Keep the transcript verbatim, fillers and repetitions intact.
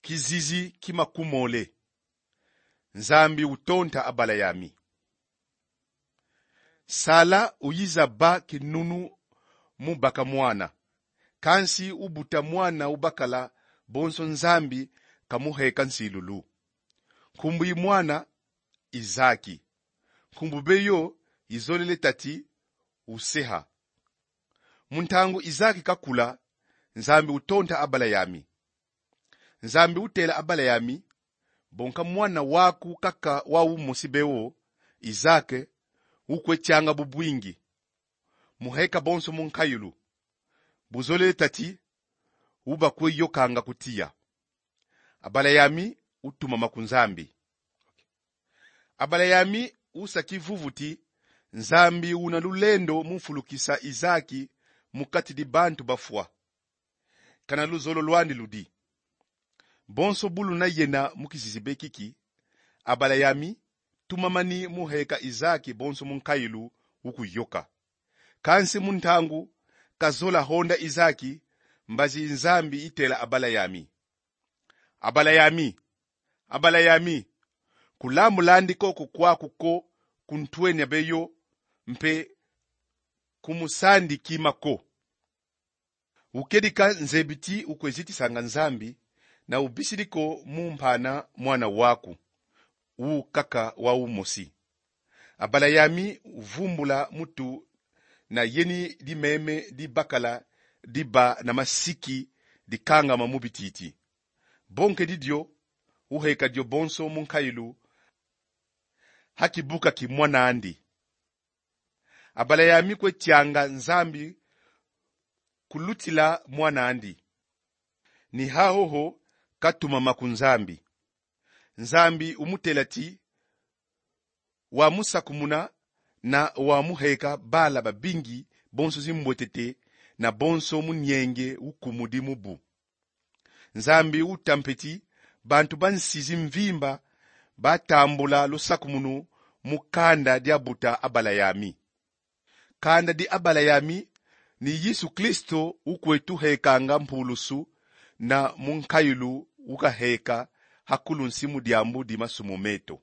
Kizizi ki makumole. Nzambi utonta Abalayami. Sala uyiza ba kinunu mu baka mwana. Kansi ubuta mwana ubakala bonso Nzambi kamuheka nsilulu. Nkumbu i mwana Izaki. Nkumbu beyo izolele tati useha. Mu ntangu Izaki kakula, Nzambi utonta Abalayami. Nzambi utela Abalayami: Bonka mwana waku kaka wau mosi beo, Izake, ukwe tianga bubwingi, muheka bonso mu nkayulu. Buzolele tati, ubakwe yokanga ku tiya. Abalayami utumama ku Nzambi. Abalayami usa kivuvu ti: Nzambi una lulendo mu mfulukisa Izaki mu kati di bantu bafwa. Kana luzolo lwandi ludi. Bonso bu luna yena mu kizizi be kiki, Abalayami tumamani mu heka Izaki bonso mu nkayulu ukuyoka. Kansi mu ntangu kazola honda Izaki, mbazi Nzambi itela Abalayami: Abalayami, Abalayami, kulambulandi koko kwaku ko ku ntwenia beyo, mpe ku musandi kima ko. Ukedika nzebi ti ukwe zitisanga Nzambi, na ubisidi ko mu mpana mwana waku, u kaka wau mosi. Abalayami uvumbula mutu na yeni dimeme dibakala diba na masiki dikangama mu bititi. Bonkedi dio, uheka dio bonso mu nkayulu, ha kibuka ki mwan'andi. Abalayami kwe tianga Nzambi kulutila mwan'andi. Ni hahoho katumama ku Nzambi. Nzambi umutela ti: Wamusakumuna na wamuheka bala babingi, bonso zimbwetete, na bonso munienge ukumudi mu bu. Nzambi uta mpe ti: Bantu ba nsi zimvimba batambula lusakumunu mu kanda diabuta Abalayami. Kanda di Abalayami ni Yesu Kristo ukwe tuhekanga mpulusu, na mu nkayulu ukaheka ha kulunsi mu diambu di masumu meto.